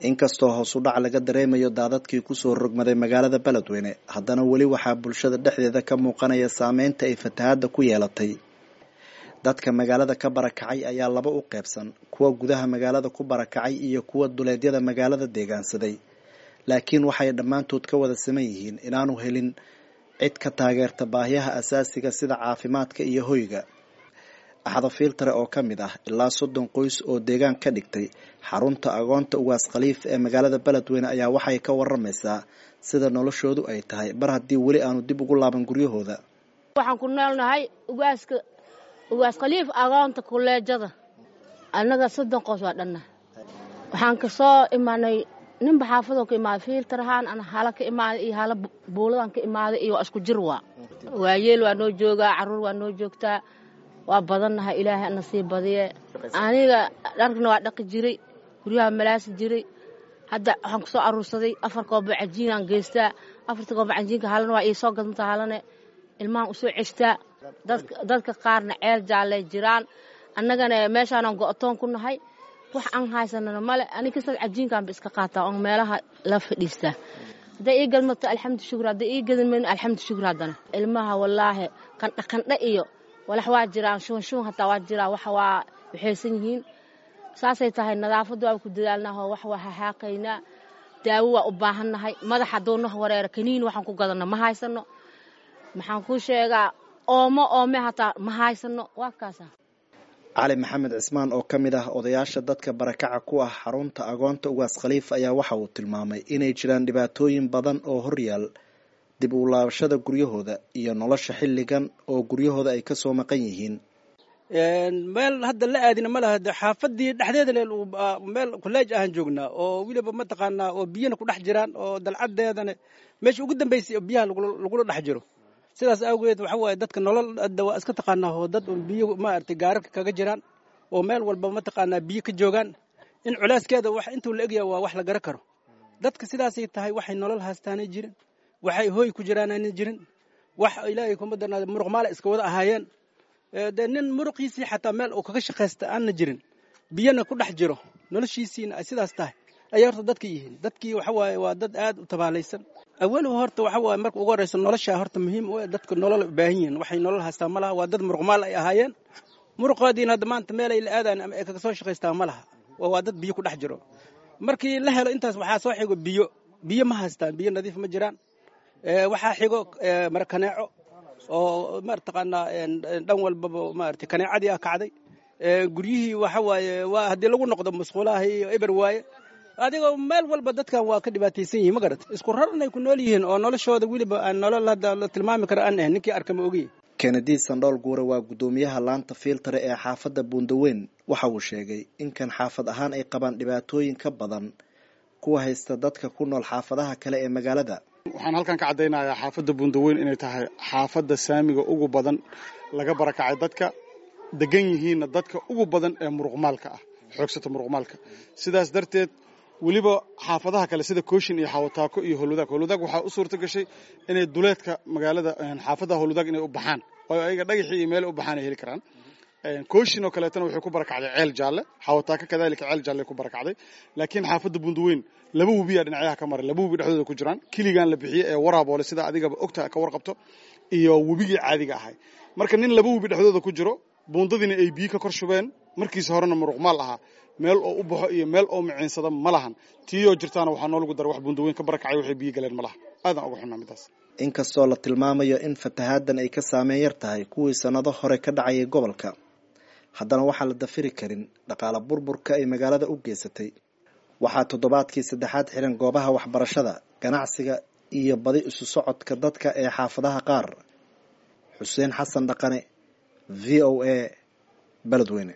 Inkastoo hoos u dhac laga dareemayo daadadkii kusoo rogmaday magaalada Beledweyne, haddana weli waxaa bulshada dhexdeeda ka muuqanaya saameynta ay fatahaadda ku yeelatay. Dadka magaalada ka barakacay ayaa laba u qaybsan, kuwa gudaha magaalada ku barakacay iyo kuwa duleedyada magaalada deegaansaday. Laakiin waxay dhammaantood ka wada siman yihiin inaanu helin cid ka taageerta baahiyaha aasaasiga sida caafimaadka iyo hoyga. Axdo Filtare oo ka mid ah ilaa 30 qoys oo deegaan ka dhigtay xarunta agoonta Ugaas Khaliif ee magaalada Beledweyne ayaa waxay ka waramaysaa sida noloshoodu ay tahay mar haddii weli aanu dib ugu laaban guryahooda. Waxaan ku noolnahay ugaaska Ugaas Khaliif agoonta kuleejada. Annaga 30 qoys waa dhanna. Waxaan ka soo imaanay ninba xaafadoo ka imaaday fiiltarahaan ana hala ka imaaday iyo hala buuladan ka imaaday iyo waa isku jir waa. Waayeel waa noo joogaa, carruur waa noo joogtaa. Waa badannahay, ilaahay ana sii badiye. Aniga dharkana waa dhaqi jiray, guryaha malaasi jiray. Hadda waxaan kusoo aruursaday 4 koobo cajiinaan geystaa. 4ta koobo cajiinka halana waa ii soo gadmata, halane ilmahan usoo ceshtaa. Dadka qaarna ceel jaallay jiraan, annagana meeshaanaan go'toon ku nahay, wax aan haysanana male. Ani kastaas cajiinkaanba iska qaataa oon meelaha la fadhiistaa. Hadday ii gadmato alxamdu shukur, hadday ii gadmayn alxamdu shukur. Haddana ilmaha wallaahi qandha qandha iyo walax waa jiraan, shuban shuban hataa waa jiraan, wax waa waxaysan yihiin. Saasay tahay, nadaafadda waa ku dadaalnaa, wax waa haxaaqaynaa, daawo waa u baahannahay. Madax hadduu nah wareero kaniin waxaan ku gadanno ma haysano. Maxaan kuu sheegaa, oomo oome hataa ma haysano, waa kaasa. Cali Maxamed Cismaan oo ka mid ah odayaasha dadka barakaca ku ah xarunta agoonta Ugaas Khaliif ayaa waxa uu tilmaamay inay jiraan dhibaatooyin badan oo horyaal dib u laabashada guryahooda iyo nolosha xilligan oo guryahooda ay kasoo maqan yihiin. Meel hadda la aadina ma laha, xaafadii dhexdeeda meel kuleej ahaan joognaa oo weliba mataqaanaa oo biyana ku dhex jiraan oo dalcadeedana meesha ugu dambaysay oo biyaha lagula dhex jiro. Sidaas awgeed waxa waaye dadka nolol hadda waa iska taqaanaa oo dad un biyo maaragtay gaararka kaga jiraan oo meel walba mataqaanaa biyo ka joogaan, in culaaskeeda wax intuu la egyahay waa wax la garan karo. Dadka sidaasay tahay, waxay nolol haystaanay jirin, waxay hooy ku jiraanayna jirin, wax ilaahay kuma darnaada muruq maale iska wada ahaayeen. Dee nin muruqiisii xataa meel uu kaga shaqaysta aanna jirin, biyana ku dhex jiro, noloshiisiina ay sidaas tahay ayay horta dadka yihiin. Dadkii waxa waaye waa dad aad u tabaalaysan. Awalow horta waxa waaye marka ugu horreysa nolosha horta muhiim u dadka nolol u baahan yihiin, waxay nolol haystaa ma laha. Waa dad muruqmaal ay ahaayeen, muruqoodiina hadda maanta meel ay la aadaan ama ay kaga soo shaqaystaa ma laha. Waa dad biyo ku dhex jiro. Markii la helo intaas waxaa soo xigo biyo. Biyo ma haystaan, biyo nadiif ma jiraan. Waxaa xigo mara kaneeco oo marataqaanaa dhan walbaba maarata kaneecadii ah kacday. Guryihii waxa waaye waa haddii lagu noqdo musqulaha iyo eber waaye. Adigoo meel walba dadkan waa ka dhibaataysan yihin, ma garat, isku rarnay ku nool yihiin oo noloshooda weliba aan nolol hadda la tilmaami karo aan ahayn, ninkii arka ma ogiyi. Kennedy Sandhool Guure waa guddoomiyaha laanta Fiiltare ee xaafadda Buundaweyn. Waxa uu sheegay in kan xaafad ahaan ay qabaan dhibaatooyin ka badan kuwa haysta dadka ku nool xaafadaha kale ee magaalada. Waxaan halkan ka caddaynayaa xaafadda Buundaweyn inay tahay xaafadda saamiga ugu badan laga barakacay, dadka degan yihiinna dadka ugu badan ee muruqmaalka ah, xoogsata muruqmaalka. Sidaas darteed weliba xaafadaha kale sida Kooshin iyo Xawataako iyo Howlwadaag, Howlwadaag waxaa u suurta gashay inay duleedka magaalada xaafadda Howlwadaag inay u baxaan oo ayaga dhagaxii iyo meel u baxaan ay heli karaan. Kooshin oo kaleetana waxay ku barakacday Ceel Jaalle, Xawataako kadaalika Ceel Jaalle ku barakacday. Laakiin xaafadda Buundaweyn laba webiyaa dhinacyaha ka maray, laba webi dhexdooda ku jiraan, kiligan la bixiyey ee waraaboole sida adigaba ogta ka warqabto iyo webigii caadiga ahay. Marka nin laba webi dhexdooda ku jiro, buundadiina ay biyo ka kor shubeen, markiisa horena muruqmaal ahaa, meel oo u baxo iyo meel oo miciinsada ma lahan. Tiiyoo jirtaana waxaa noolagu daray wax Buundaweyn ka barakacay waxay biyo galeen ma laha. Aadaan uga xunnaa midaas. Inkastoo la tilmaamayo in fatahaaddan ay ka saameyn yar tahay kuwii sannado hore ka dhacayay gobolka, haddana waxaan la dafiri karin dhaqaale burburka ay magaalada u geysatay. Waxaa toddobaadkii saddexaad xiran goobaha waxbarashada, ganacsiga iyo badi isu socodka dadka ee xaafadaha qaar. Xuseen Xasan Dhaqane, V O A, Beledweyne.